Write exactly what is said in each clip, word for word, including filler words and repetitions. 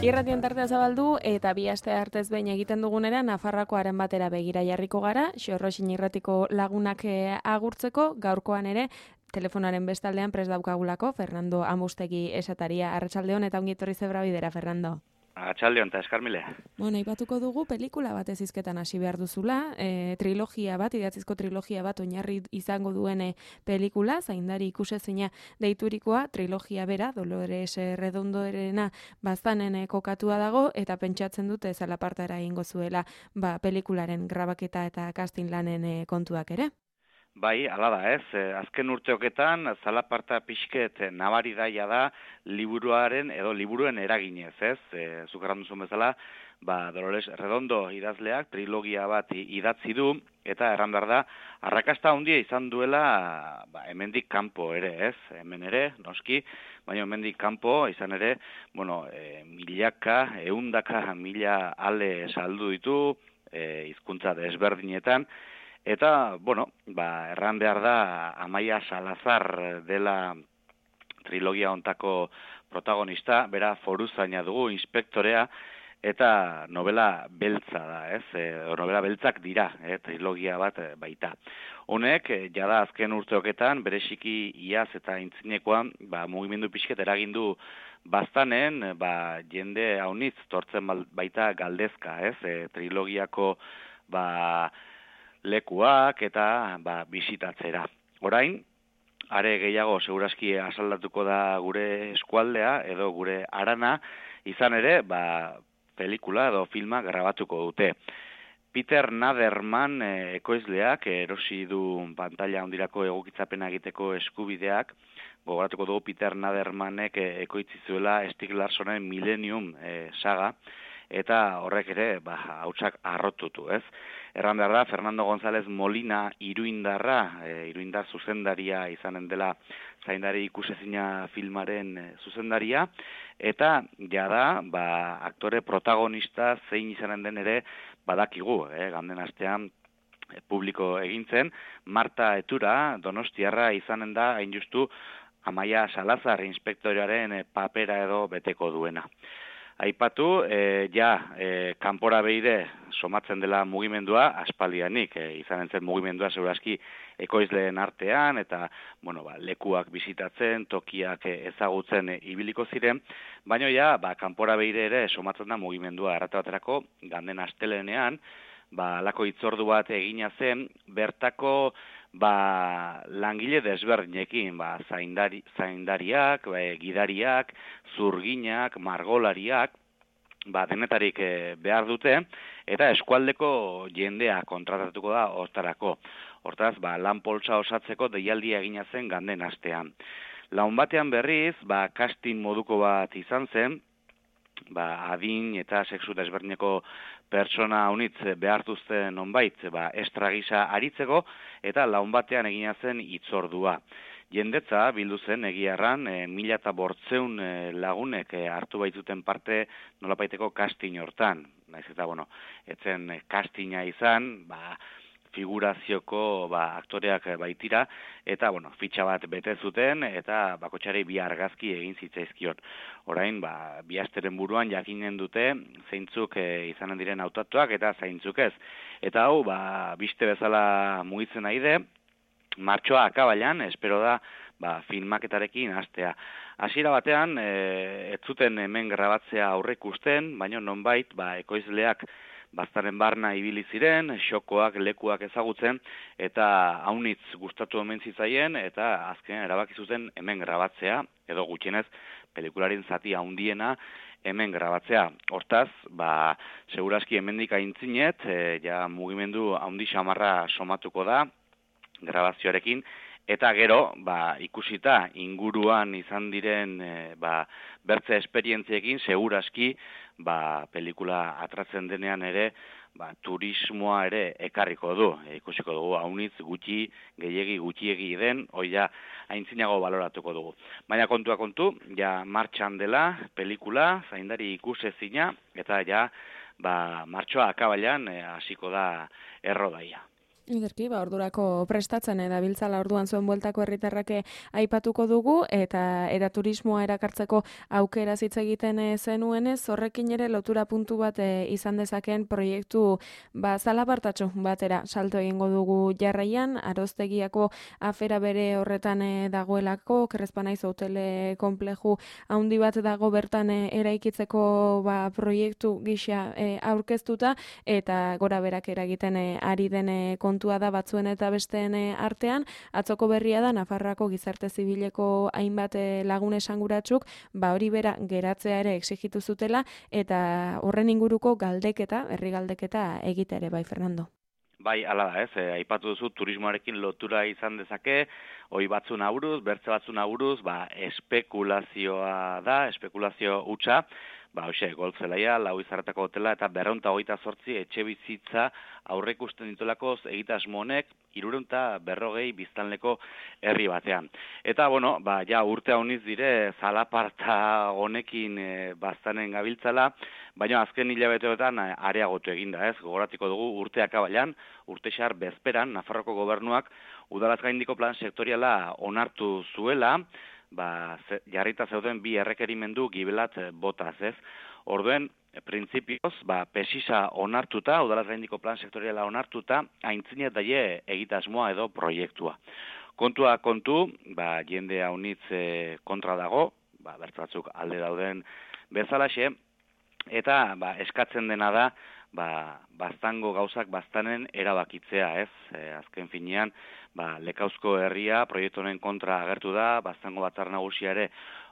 Irratian tartea zabaldu eta bi aste artez behin egiten dugunera Nafarroako haren batera begira jarriko gara, Xorroxin irratiko lagunak agurtzeko, gaurkoan ere telefonaren bestaldean prest daukagulako Fernando Amustegi esataria. Arratsaldeon eta ongi etorri Zebra Bidera, Fernando. Arratsaldeon eta eskarmile. Bueno, aipatuko dugu pelikula bat ez hizketan hasi behar duzula, e, trilogia bat, idatzizko trilogia bat oinarri izango duen e, pelikula, zaindari ikusezina deiturikoa, trilogia bera, Dolores Redondoerena baztanen e, kokatua dago, eta pentsatzen dute zalapartara egingo zuela ba, pelikularen grabaketa eta casting lanen e, kontuak ere. Bai, hala da, ez. Azken urteoketan zalaparta pixket nabari daia da liburuaren edo liburuen eraginez, ez? E, Zukarran duzun bezala, ba, Dolores Redondo idazleak trilogia bat idatzi du, eta erran behar da, arrakasta handia izan duela ba, hemendik kanpo ere, ez? Hemen ere, noski, baina hemendik kanpo izan ere, bueno, e, milaka, eundaka, mila ale saldu ditu, e, hizkuntza desberdinetan, eta, bueno, ba, erran behar da, Amaia Salazar dela trilogia hontako protagonista, bera foruzaina dugu, inspektorea, eta novela beltza da, ez? E, novela beltzak dira, e, trilogia bat baita. Honek, jada azken urteoketan, bereziki iaz eta intzinekoan, ba, mugimendu pixket eragindu baztanen, ba, jende haunitz tortzen baita galdezka, ez? E, trilogiako, ba, lekuak eta ba, bisitatzera. Orain, are gehiago segurazki asaldatuko da gure eskualdea edo gure arana, izan ere, ba, pelikula edo filma grabatuko dute. Peter Naderman e, ekoizleak erosi du pantalla handirako egokitzapena egiteko eskubideak, gogoratuko dugu Peter Nadermanek e, ekoitzi zuela Stieg Larssonen Millennium e, saga, eta horrek ere, ba, hautsak arrotutu, ez? Erran behar da, Fernando González Molina iruindarra, e, iruindar zuzendaria izanen dela zaindari ikusezina filmaren e, zuzendaria, eta jada, ba, aktore protagonista zein izanen den ere badakigu, eh, ganden astean e, publiko egintzen, Marta Etura, donostiarra izanen da, hain justu, Amaia Salazar inspektorearen e, papera edo beteko duena. Aipatu, e, ja, e, kanpora behire somatzen dela mugimendua, aspaldianik, e, izanen zen mugimendua segurazki ekoizleen artean, eta, bueno, ba, lekuak bisitatzen, tokiak ezagutzen e, ibiliko ziren, baina ja, ba, kanpora behire ere somatzen da mugimendua errate baterako, ganden astelenean, ba, lako hitzordu bat egina zen, bertako, ba, langile desberdinekin, ba, zaindari, zaindariak, ba, gidariak, zurginak, margolariak, ba, denetarik e, behar dute, eta eskualdeko jendea kontratatuko da hortarako. Hortaz, ba, lan poltsa osatzeko deialdia egina zen ganden astean. Laun batean berriz, ba, casting moduko bat izan zen, ba, adin eta sexu desberdineko pertsona unitz behartuzte nonbait, ba, estra gisa aritzeko, eta laun batean egina zen hitzordua. Jendetza bildu zen egiarran, e, mila eta bortzeun e, lagunek e, hartu baitzuten parte nolapaiteko casting hortan. Naiz eta, bueno, etzen castinga izan, ba, figurazioko ba, aktoreak baitira, eta, bueno, fitxa bat bete zuten, eta bakotxari bi argazki egin zitzaizkion. Orain, ba, bi asteren buruan jakinen dute, zeintzuk e, izanen diren hautatuak, eta zeintzuk ez. Eta hau, ba, biste bezala mugitzen nahi de, martxoa akabailan, espero da, ba, filmaketarekin hastea. Hasiera batean, e, ez zuten hemen grabatzea aurreikusten, baina nonbait, ba, ekoizleak baztaren barna ibili ziren, xokoak, lekuak ezagutzen, eta haunitz gustatu omen zitzaien, eta azken erabaki zuten hemen grabatzea, edo gutxienez, pelikularin zati handiena hemen grabatzea. Hortaz, ba, segurazki hemendik aintzinet, e, ja mugimendu handi xamarra somatuko da, grabazioarekin, eta gero, ba, ikusita inguruan izan diren e, ba, bertze esperientziekin, segurazki, ba, pelikula atratzen denean ere, ba, turismoa ere ekarriko du. E, ikusiko dugu, haunitz gutxi, gehiegi gutxiegi den, hoi ja, aintzinago baloratuko dugu. Baina kontua kontu, ja martxan dela, pelikula, zaindari ikusezina, eta ja, ba, martxoa akabailan hasiko da errodaia. Ederki, ba, ordurako prestatzen dabiltzala orduan zuen bueltako herritarrake aipatuko dugu, eta eta turismoa erakartzeko aukera hitz egiten zenuenez, horrekin ere lotura puntu bat e, izan dezakeen proiektu ba, zalapartatxo batera salto egingo dugu jarraian, Aroztegiako afera bere horretan e, dagoelako, Krezpanaiz hotele konpleju handi bat dago bertan e, eraikitzeko ba, proiektu gisa e, aurkeztuta, eta gora berak eragiten e, ari den e, kontua da batzuen eta besteen artean. Atzoko berria da Nafarroako gizarte zibileko hainbat lagun esanguratsuk ba hori bera geratzea ere exigitu zutela, eta horren inguruko galdeketa, herri galdeketa egite ere, bai Fernando. Bai, hala da, ez, e, aipatu duzu turismoarekin lotura izan dezake, hoi batzun auruz, bertze batzun auruz, ba, espekulazioa da, espekulazio hutsa, ba, hoxe, goltzelaia, lau izarretako hotela, eta berreunta hogeita zortzi etxe bizitza aurrekusten ditulakoz egitasmo honek, hirurehun berrogei biztanleko herri batean. Eta, bueno, ba, ja, urte hauniz dire, zalaparta honekin e, baztanen gabiltzala, baina azken hilabeteotan areagotu eginda, ez, gogoratiko dugu urteak abailan, urtexar bezperan, Nafarroko gobernuak udalaz gaindiko plan sektoriala onartu zuela, ba, ze, jarrita zeuden bi errekerimendu gibelat botaz, ez? Orduen, printzipioz, ba, pesisa onartuta, udalaz gaindiko plan sektoriala onartuta, aintzine daie egitasmoa edo proiektua. Kontua kontu, ba, jende haunitz e, kontra dago, ba, bertzatzuk alde dauden bezalaxe, eta ba, eskatzen dena da, ba, baztango gauzak baztanen erabakitzea, ez? E, azken finean, ba, Lekauzko herria proiektu honen kontra agertu da, baztango batzar nagusia ere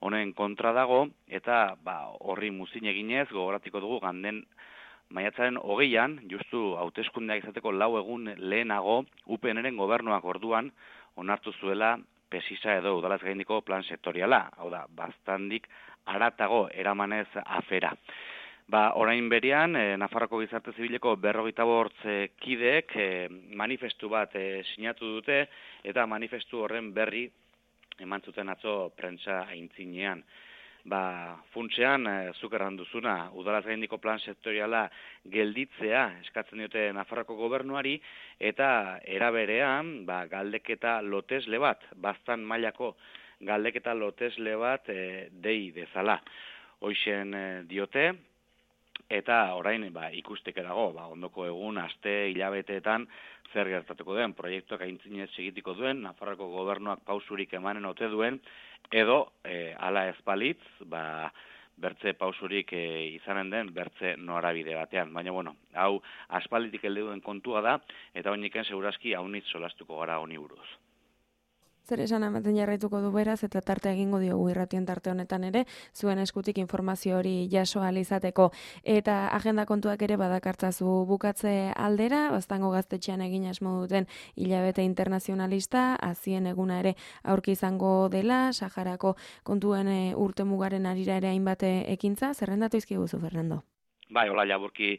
honen kontra dago, eta ba, horri muzin eginez, gogoratiko dugu ganden maiatzaren hogeian, justu hauteskundeak izateko lau egun lehenago, U P N-ren gobernuak orduan onartu zuela pesisa edo udalaz gaindiko plan sektoriala, hau da, baztandik aratago eramanez afera. Ba, orain berian, e, Nafarroko gizarte zibileko berrogeita bortz e, kideek e, manifestu bat e, sinatu dute, eta manifestu horren berri eman zuten atzo prentsa aintzinean. Ba, funtsean, e, zuk erran duzuna, udalaz gaindiko plan sektoriala gelditzea eskatzen diote Nafarroko gobernuari, eta eraberean, ba, galdeketa lotesle bat, baztan mailako galdeketa lotesle bat e, dei dezala. Hoixen e, diote, eta orain ba, ikusteke dago, ba, ondoko egun, aste, hilabeteetan zer gertatuko den, proiektuak aintzinez segitiko duen, Nafarroko gobernuak pausurik emanen ote duen, edo e, ala ezpalitz, ba, bertze pausurik e, izanen den, bertze norabide batean. Baina, bueno, hau aspalditik heldu duen kontua da, eta oiniken segurazki haunitz solastuko gara honi buruz. Zer esan ematen jarraituko du beraz, eta tarte egingo diogu irratien tarte honetan ere, zuen eskutik informazio hori jaso ahal izateko. Eta agenda kontuak ere badakartzazu bukatze aldera, baztango gaztetxean egin asmo duten hilabete internazionalista, azien eguna ere aurki izango dela, Saharako kontuen urte mugaren arira ere hainbat ekintza, zerrendatu izkiguzu, Fernando? Bai, hola, jaburki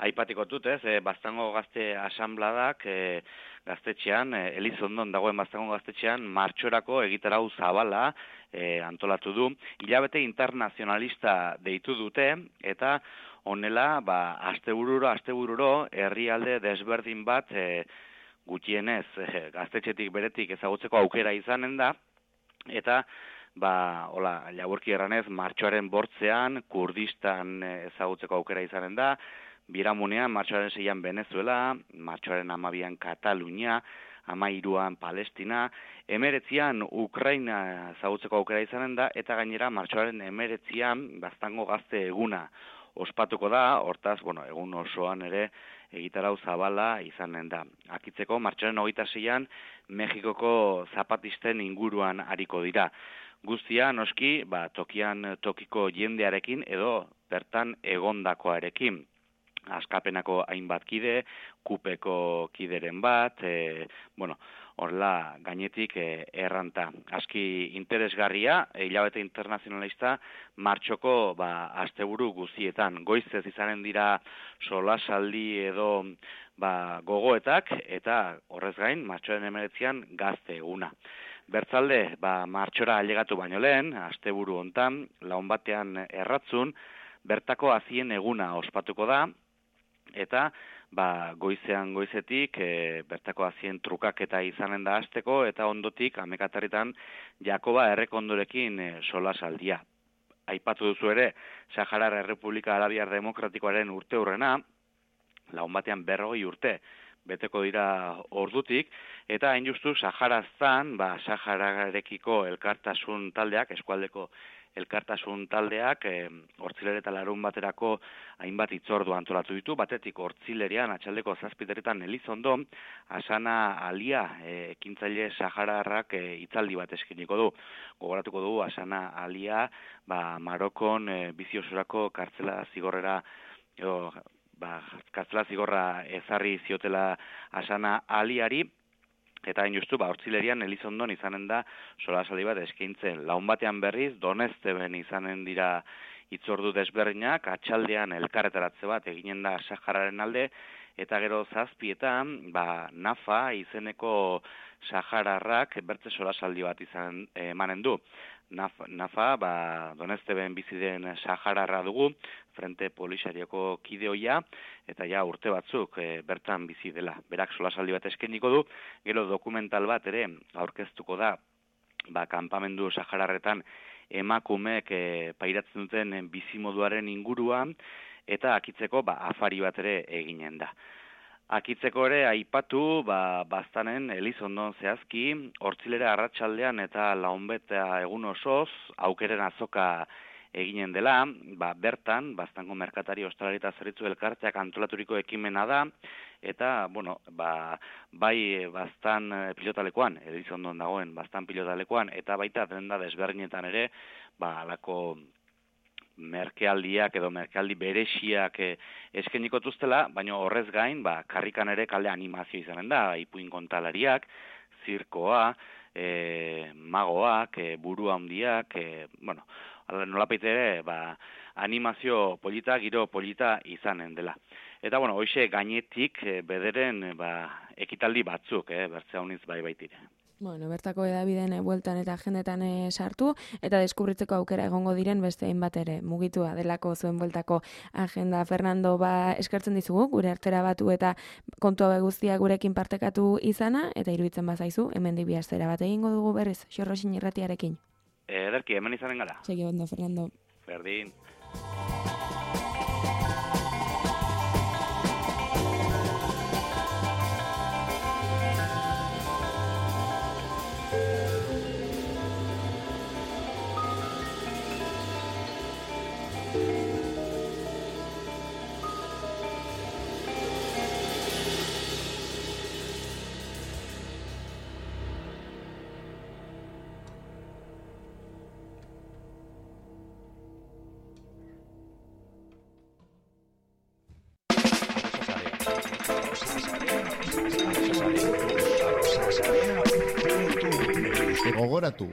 aipatiko dut, ez, e, baztango gazte asanbladak, e, gaztetxean, e, Elizondon dagoen baztango gaztetxean, martxorako egitarau zabala e, antolatu du. Hilabete internazionalista deitu dute, eta honela, ba, astebururo, astebururo, herrialde desberdin bat, e, gutxienez, e, gaztetxetik beretik ezagutzeko aukera izanen da, eta ba, hola, laburki erranez, martxoaren bortzean, Kurdistan ezagutzeko aukera izanen da, Biramunean, martxoaren seian Venezuela, martxoaren hamabian Katalunia, hamairuan Palestina, emeretzian Ukraina ezagutzeko aukera izanen da, eta gainera martxoaren emeretzian baztango gazte eguna ospatuko da, hortaz, bueno, egun osoan ere egitarau zabala izanen da. Akitzeko, martxoaren hogeita seian Mexikoko zapatisten inguruan ariko dira. Guztia, noski, ba, tokian tokiko jendearekin edo bertan egondakoarekin. Askapenako hainbat kide, kupeko kideren bat, e, bueno, horrela gainetik e, erranta. Aski interesgarria, e, hilabete internazionalista, martxoko ba, asteburu guztietan. Goizez izanen dira solasaldi edo ba, gogoetak, eta horrez gain, martxoaren emeretzian gazte eguna. Bertzalde, ba, martxora ailegatu baino lehen, asteburu hontan, laun batean erratzun, bertako azien eguna ospatuko da, eta ba, goizean goizetik, e, bertako azien trukaketa izanen da hasteko, eta ondotik, amekatarritan, Jakoba errekondorekin e, solasaldia. Aipatu duzu ere, Saharar Errepublika Arabiar Demokratikoaren urte hurrena, laun batean berrogei urte, beteko dira ordutik, eta hain justu Saharaztan, ba, Sahararekiko elkartasun taldeak, eskualdeko elkartasun taldeak, e, hortzilere eta larun baterako hainbat hitzordu antolatu ditu, batetik hortzilerian, atxaldeko zazpiterretan Elizondo, Asana Alia, e, ekintzaile sahararrak e, hitzaldi bat eskiniko du. Gogoratuko du, Asana Alia, ba, Marokon e, biziosurako kartzela zigorrera, edo, ba, kartzela zigorra ezarri ziotela Asana Aliari, eta hain justu, ba, hortzilerian Elizondon izanen da solasaldi bat eskaintzen. Laun batean berriz, Donezteben izanen dira hitzordu desberdinak, atxaldean elkarretaratze bat eginen da Sahararen alde, eta gero zazpietan, ba, Nafa izeneko sahararrak bertze solasaldi bat izan emanen du. Nafa, Nafa ba, Donezteben bizi den sahararra dugu, Frente Polisarioko kideoia, eta ja urte batzuk e, bertan bizi dela. Berak solasaldi bat eskainiko du, gero dokumental bat ere aurkeztuko da, ba, kanpamendu sahararretan emakumeek e, pairatzen duten bizimoduaren inguruan, eta akitzeko ba, afari bat ere eginen da. Akitzeko ere aipatu, ba, baztanen Elizondon zehazki, hortzilera arratsaldean eta launbeta egun osoz, aukeren azoka eginen dela, ba, bertan, baztango merkatari ostalari eta zerbitzu elkarteak antolaturiko ekimena da, eta, bueno, ba, bai baztan pilotalekoan, Elizondon dagoen baztan pilotalekoan, eta baita denda desberdinetan ere, ba, alako merkealdiak edo merkealdi berexiak eh, eskeniko tuztela, baina horrez gain, ba, karrikan ere kalde animazio izanen da, ipuin kontalariak, zirkoa, e, magoak, e, buru handiak, e, bueno, nolapait ere, ba, animazio polita, giro polita izanen dela. Eta, bueno, hoxe gainetik e, bederen ba, ekitaldi batzuk, eh, bertzea honiz bai baitire. Bueno, bertako edabideen bueltan eta agendetan e, sartu, eta deskubritzeko aukera egongo diren beste hainbat ere mugitua delako zuen bueltako agenda. Fernando, ba, eskertzen dizugu, gure artera batu eta kontua guztia gurekin partekatu izana, eta iruditzen bazaizu, hemen dibiaztera bat egingo dugu berriz, Xorroxin irratiarekin. Ederki, hemen izanen gara. Segi ondo, Fernando. Berdin. Gogoratu,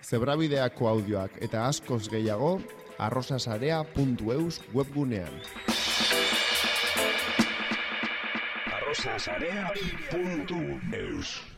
zebrabideako audioak eta askoz gehiago arrosasarea puntu eus webgunean. arrosasarea puntu eus